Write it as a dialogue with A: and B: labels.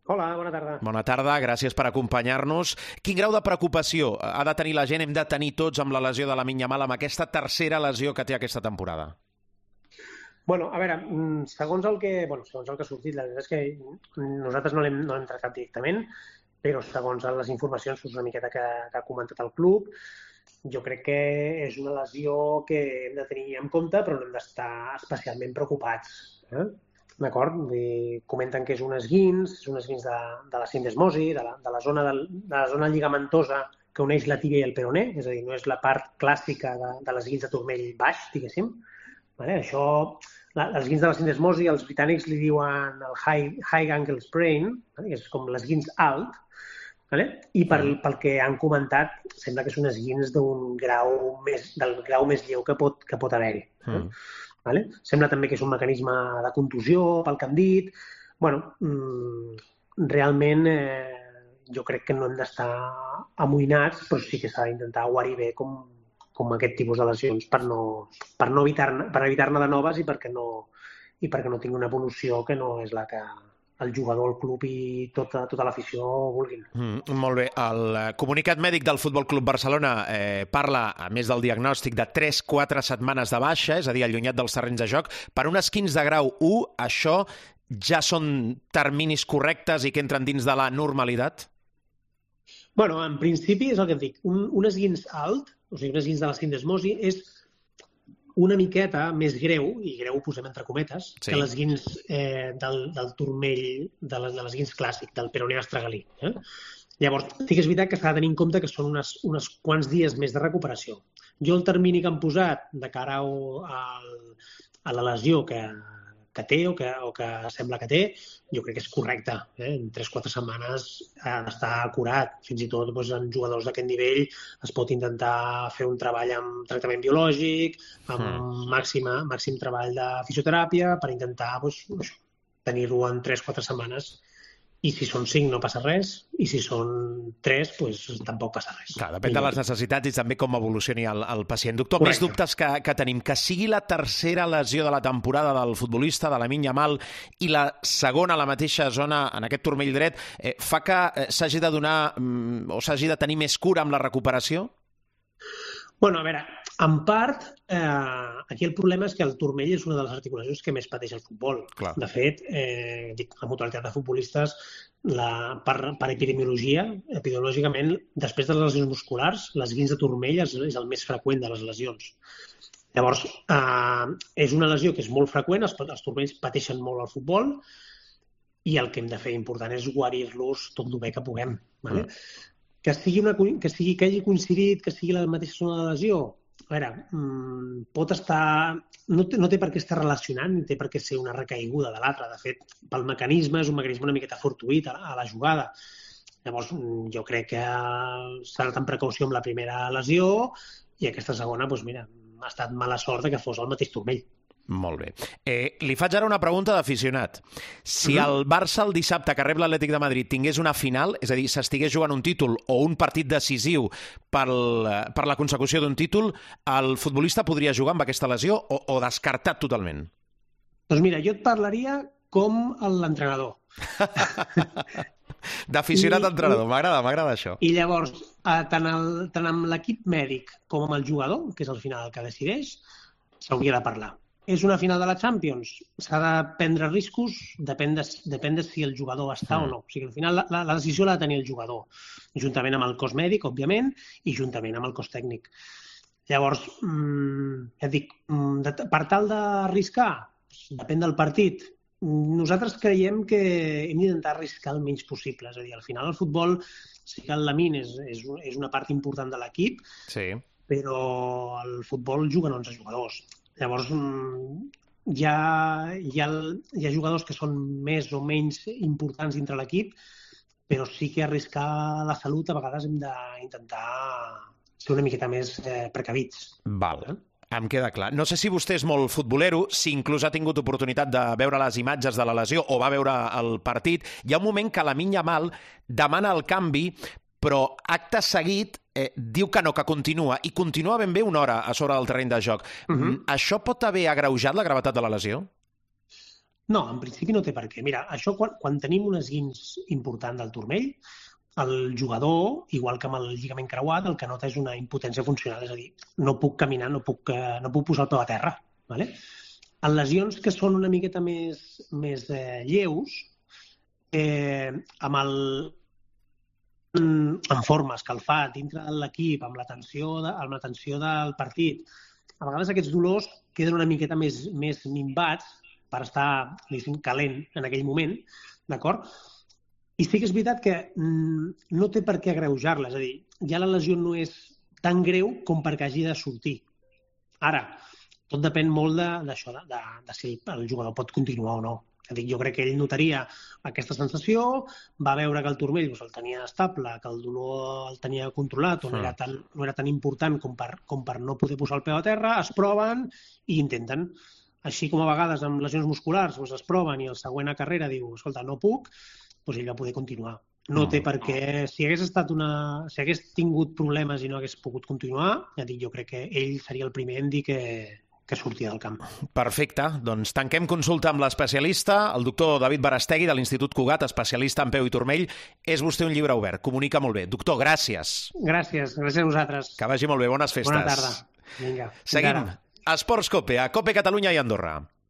A: Hola, bona tarda.
B: Bona tarda, gràcies per acompanyar-nos. Quin grau de preocupació ha de tenir la gent, hem de tenir tots amb la lesió de Lamine Yamal, amb aquesta tercera lesió que té aquesta temporada?
A: Bueno, a veure, segons el que ha sortit, la veritat és que nosaltres no l'hem tractat directament, però segons les informacions una miqueta que ha comentat el club, jo crec que és una lesió que hem de tenir en compte, però no hem d'estar especialment preocupats. D'acord? Comenten que és un esguins de la sindesmosi, de la zona lligamentosa que uneix la tíbia i el peroné, és a dir, no és la part clàssica de l'esguins de turmell baix, diguéssim. Això, l'esguins de la sindesmosi, els britànics li diuen el high ankle sprain, que és com l'esguins alt, i pel que han comentat, sembla que és un esguins del grau més lleu que pot haver-hi. Sembla també que és un mecanisme de contusió, pel que han dit. Realment jo crec que no hem d'estar amoïnats, però sí que s'ha d'intentar guarir bé com aquest tipus de lesions per evitar-ne de noves i perquè no tingui una evolució que no és la que el jugador, el club i tota l'afició vulguin.
B: Molt bé. El comunicat mèdic del Futbol Club Barcelona parla, a més del diagnòstic, de 3-4 setmanes de baixa, és a dir, allunyat dels terrenys de joc. Per un esquins de grau 1, això ja són terminis correctes i que entren dins de la normalitat?
A: Bueno, en principi és el que et dic. Un esguins alt, o sigui, un esguins de la sindesmosi, és una miqueta més greu, i greu ho posem entre cometes, que l'esguins del turmell, de l'esguins clàssic, del peroné astragalí. Llavors, sí que és veritat que s'ha de tenir en compte que són uns quants dies més de recuperació. Jo el termini que han posat de cara a la lesió que té o que sembla que té, jo crec que és correcte. En 3-4 setmanes ha d'estar curat. Fins i tot en jugadors d'aquest nivell es pot intentar fer un treball amb tractament biològic, amb màxim treball de fisioteràpia per intentar tenir-ho en 3-4 setmanes. I si són 5 no passa res, i si són 3, tampoc passa res.
B: Clar, depèn de les necessitats i també com evolucioni el pacient. Doctor, més dubtes que tenim. Que sigui la tercera lesió de la temporada del futbolista, de Lamine Yamal, i la segona a la mateixa zona, en aquest turmell dret, fa que s'hagi de donar o s'hagi de tenir més cura amb la recuperació?
A: Bueno, a veure, en part, aquí el problema és que el turmell és una de les articulacions que més pateix el futbol.
B: Clar.
A: De fet, la mutualitat de futbolistes, per epidemiològicament, després de les lesions musculars, l'esguins de turmell és el més freqüent de les lesions. Llavors, és una lesió que és molt freqüent, els turmells pateixen molt al futbol, i el que hem de fer important és guarir-los tot el bé que puguem. Que hagi coincidit, que sigui la mateixa zona de lesió, a veure, pot estar... No té per què estar relacionant, ni té per què ser una recaiguda de l'altra. De fet, pel mecanisme, és un mecanisme una miqueta fortuït a la jugada. Llavors, jo crec que s'ha anat amb precaució amb la primera lesió i aquesta segona, ha estat mala sort que fos el mateix turmell.
B: Molt bé. Li faig ara una pregunta d'aficionat. Si el Barça el dissabte que rep l'Atlètic de Madrid tingués una final, és a dir, s'estigués jugant un títol o un partit decisiu per la consecució d'un títol, el futbolista podria jugar amb aquesta lesió o descartat totalment?
A: Doncs mira, jo et parlaria com l'entrenador.
B: D'aficionat a entrenador, m'agrada això.
A: I llavors, tant amb l'equip mèdic com amb el jugador, que és al final el que decideix, s'hauria de parlar. És una final de la Champions, s'ha de prendre riscos, depèn de si el jugador està o no. O sigui, al final la decisió l'ha de tenir el jugador, juntament amb el cos mèdic, òbviament, i juntament amb el cos tècnic. Llavors, ja et dic, per tal d'arriscar, depèn del partit. Nosaltres creiem que hem d'intentar arriscar el menys possible. És a dir, al final el futbol, sí que el Lamine és una part important de l'equip, però el futbol juguen 11 jugadors. Llavors, hi ha jugadors que són més o menys importants dintre l'equip, però sí que arriscar la salut a vegades hem d'intentar ser una miqueta més precavits.
B: Val. Em queda clar. No sé si vostè és molt futbolero, si inclús ha tingut oportunitat de veure les imatges de la lesió o va veure el partit. Hi ha un moment que Lamine Yamal demana el canvi, però acte seguit diu que no, que continua, i continua ben bé una hora a sobre del terreny de joc. Això pot haver agreujat la gravetat de la lesió?
A: No, en principi no té per què. Mira, això quan tenim un esguins important del turmell, el jugador, igual que amb el lligament creuat, el que nota és una impotència funcional, és a dir, no puc caminar, no puc posar el peu a terra. ¿Vale? En lesions que són una miqueta més lleus, amb forma escalfat dintre de l'equip, amb la tensió del partit, a vegades aquests dolors queden una miqueta més minvats per estar, diguéssim, calent en aquell moment, d'acord? I sí que és veritat que no té per què agreujar-la, és a dir, ja la lesió no és tan greu com perquè hagi de sortir. Ara, tot depèn molt d'això, de si el jugador pot continuar o no. És a dir, jo crec que ell notaria aquesta sensació, va veure que el turmell el tenia estable, que el dolor el tenia controlat, o no era tan important com per no poder posar el peu a terra, es proven i intenten. Així com a vegades amb lesions musculars es proven i el següent a carrera diu, escolta, no puc, doncs ell va poder continuar. No té per què... Si hagués tingut problemes i no hagués pogut continuar, ja dic, jo crec que ell seria el primer en dir que sortia del camp.
B: Perfecte. Doncs tanquem consulta amb l'especialista, el doctor David Barastegui, de l'Institut Cugat, especialista en peu i turmell. És vostè un llibre obert. Comunica molt bé. Doctor, gràcies.
A: Gràcies a vosaltres.
B: Que vagi molt bé. Bones festes.
A: Bona tarda. Vinga.
B: Seguim. Esports Cope, a Cope Catalunya i Andorra.